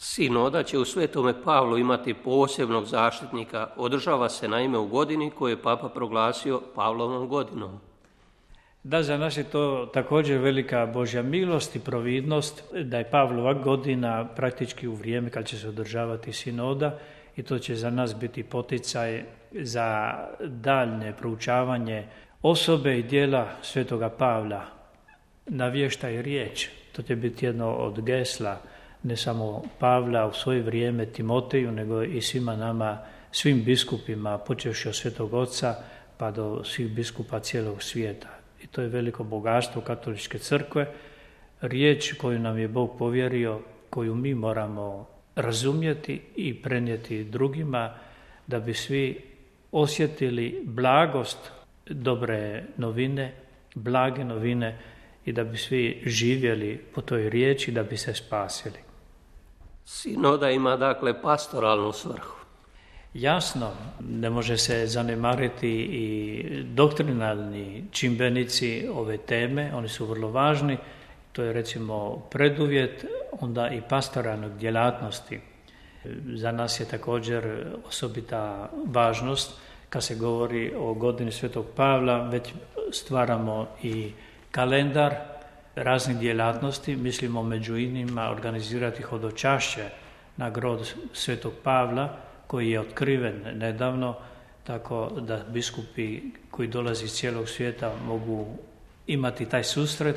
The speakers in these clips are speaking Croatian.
Sinoda će u Svetome Pavlu imati posebnog zaštitnika. Održava se naime u godini koju je Papa proglasio Pavlovom godinom. Da, za nas je to također velika Božja milost i providnost da je Pavlova godina praktički u vrijeme kad će se održavati sinoda i to će za nas biti poticaj za daljnje proučavanje osobe i djela Svetoga Pavla, navještaj riječ. To će biti jedno od gesla ne samo Pavla u svoje vrijeme Timoteju, nego i svima nama, svim biskupima, počevši od Svetog Oca pa do svih biskupa cijelog svijeta. I to je veliko bogatstvo katoličke crkve, riječ koju nam je Bog povjerio, koju mi moramo razumjeti i prenijeti drugima, da bi svi osjetili blagost dobre novine, blage novine i da bi svi živjeli po toj riječi, da bi se spasili. Sinoda ima dakle pastoralnu svrhu. Jasno, ne može se zanemariti i doktrinalni čimbenici ove teme, oni su vrlo važni, to je recimo preduvjet onda i pastoralnog djelatnosti. Za nas je također osobita važnost kad se govori o godini Svetog Pavla, već stvaramo i kalendar raznih djelatnosti, mislimo među inima organizirati hodočašće na grob Svetog Pavla, koji je otkriven nedavno, tako da biskupi koji dolaze iz cijelog svijeta mogu imati taj susret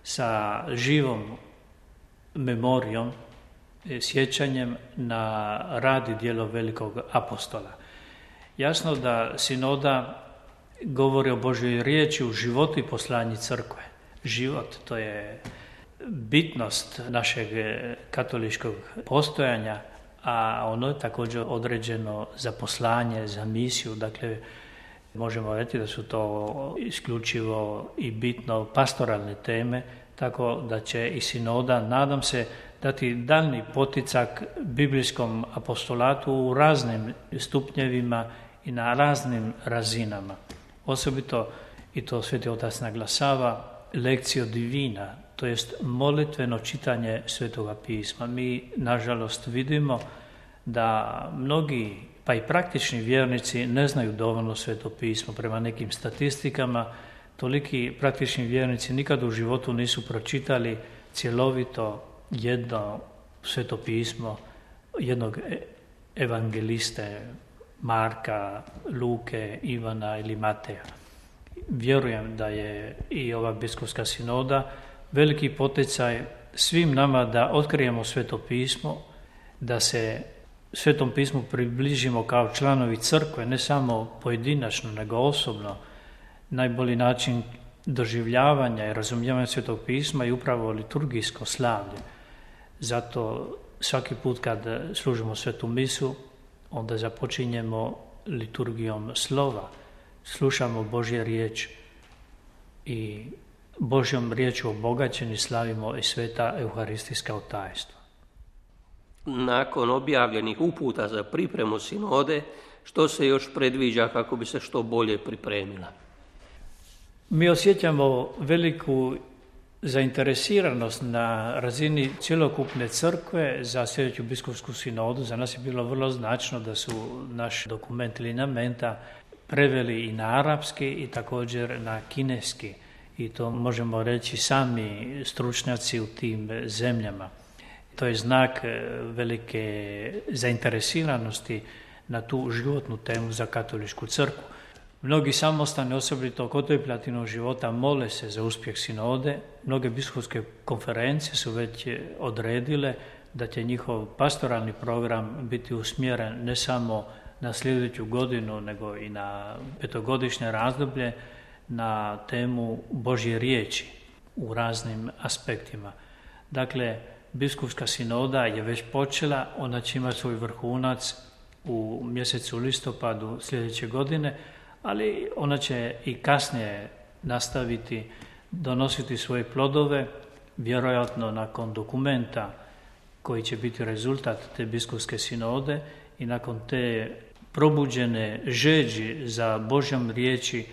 sa živom memorijom, sjećanjem na rad i djelo velikog apostola. Jasno da sinoda govori o Božjoj riječi u životu i poslanju crkve. Život, to je bitnost našeg katoličkog postojanja, a ono je također određeno za poslanje, za misiju. Dakle, možemo reći da su to isključivo i bitno pastoralne teme, tako da će i sinoda, nadam se, dati daljnji poticak biblijskom apostolatu u raznim stupnjevima i na raznim razinama. Osobito, i to Sveti Otac naglasava, lekcio divina, to jest molitveno čitanje Svetoga pisma. Mi, nažalost, vidimo da mnogi, pa i praktični vjernici, ne znaju dovoljno Sveto pismo. Prema nekim statistikama, toliki praktični vjernici nikad u životu nisu pročitali cjelovito jedno Sveto pismo jednog evangeliste Marka, Luke, Ivana ili Mateja. Vjerujem da je i ova biskupska sinoda veliki poticaj svim nama da otkrijemo Sveto pismo, da se Svetom pismu približimo kao članovi crkve, ne samo pojedinačno, nego osobno. Najbolji način doživljavanja i razumijevanja Svetog pisma je upravo liturgijsko slavlje. Zato svaki put kad služimo Svetu misu, onda započinjemo liturgijom slova, slušamo Božje riječ i Božjom riječu obogaćeni slavimo i sveta euharistijska tajstva. Nakon objavljenih uputa za pripremu sinode, što se još predviđa kako bi se što bolje pripremila? Mi osjećamo veliku zainteresiranost na razini cjelokupne crkve za sljedeću biskupsku sinodu. Za nas je bilo vrlo značno da su naš dokument linamenta preveli i na arapski i također na kineski. I to možemo reći sami stručnjaci u tim zemljama. To je znak velike zainteresiranosti na tu životnu temu za katoličku crkvu. Mnogi samostani, osobito kontemplativnog života, mole se za uspjeh sinode. Mnoge biskupske konferencije su već odredile da će njihov pastoralni program biti usmjeren ne samo na sljedeću godinu, nego i na petogodišnje razdoblje na temu Božje riječi u raznim aspektima. Dakle, biskupska sinoda je već počela, ona će imati svoj vrhunac u mjesecu listopadu sljedeće godine, ali ona će i kasnije nastaviti donositi svoje plodove, vjerojatno nakon dokumenta koji će biti rezultat te biskupske sinode i nakon te probuđene žeđi za Božjom riječi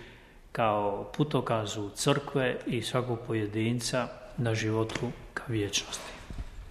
kao putokazu crkve i svakog pojedinca na životu ka vječnosti.